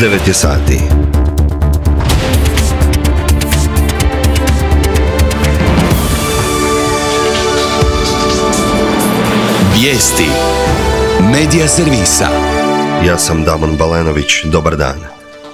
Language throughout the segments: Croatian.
9 je sati. Vijesti Medija servisa. Ja sam Damon Balenović, dobar dan.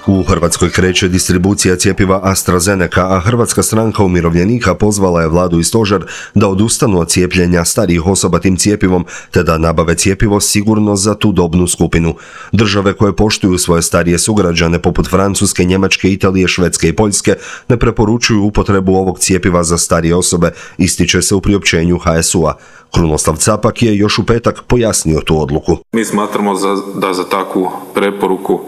U Hrvatskoj kreće distribucija cjepiva AstraZeneca, a Hrvatska stranka umirovljenika pozvala je vladu i stožer da odustanu od cijepljenja starijih osoba tim cjepivom, te da nabave cjepivo sigurno za tu dobnu skupinu. Države koje poštuju svoje starije sugrađane, poput Francuske, Njemačke, Italije, Švedske i Poljske, ne preporučuju upotrebu ovog cjepiva za starije osobe, ističe se u priopćenju HSU-a. Krunoslav Capak je još u petak pojasnio tu odluku. Mi smatramo da za takvu preporuku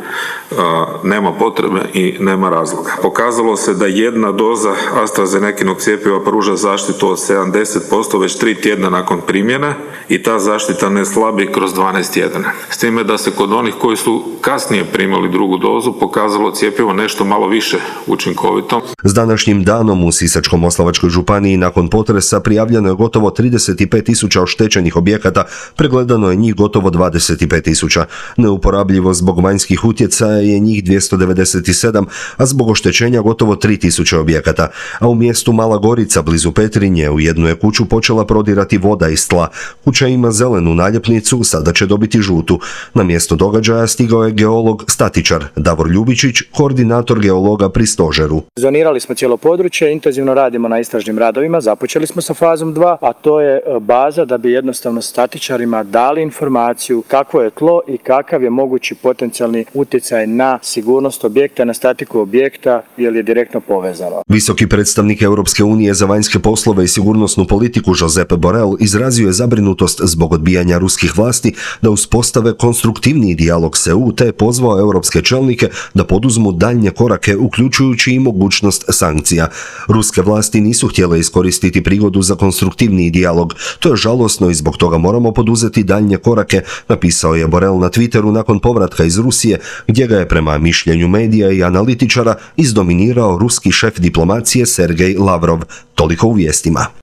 nema potrebe i nema razloga. Pokazalo se da jedna doza AstraZenekinog cjepiva pruža zaštitu od 70% već 3 tjedna nakon primjene i ta zaštita ne slabi kroz 12 tjedana. S time da se kod onih koji su kasnije primali drugu dozu pokazalo cjepivo nešto malo više učinkovito. S današnjim danom u Sisačko-moslavačkoj županiji nakon potresa prijavljeno je gotovo 35.000 oštećenih objekata, pregledano je njih gotovo 25.000. Neuporabljivo zbog vanjskih utjecaja je njih 297, a zbog oštećenja gotovo 3.000 objekata. A u mjestu Mala Gorica, blizu Petrinje, u jednu je kuću počela prodirati voda iz tla. Kuća ima zelenu naljepnicu, sada će dobiti žutu. Na mjesto događaja stigao je geolog statičar Davor Ljubičić, koordinator geologa pri stožeru. Zonirali smo cijelo područje, intenzivno radimo na istražnim radovima, započeli smo sa fazom 2, a to je baza da bi jednostavno statičarima dali informaciju kakvo je tlo i kakav je mogući potencijalni utjecaj na sigurnost objekta, na statiku objekta, jer je direktno povezano. Visoki predstavnik Europske unije za vanjske poslove i sigurnosnu politiku Josep Borrell izrazio je zabrinutost zbog odbijanja ruskih vlasti da uspostave konstruktivniji dijalog s EU, te je pozvao europske čelnike da poduzmu daljnje korake, uključujući i mogućnost sankcija. Ruske vlasti nisu htjele iskoristiti prigodu za konstruktivniji dijalog. To je žalosno i zbog toga moramo poduzeti daljnje korake, napisao je Borrell na Twitteru nakon povratka iz Rusije, gdje ga je prema mišljenju medija i analitičara izdominirao ruski šef diplomacije Sergej Lavrov. Toliko u vijestima.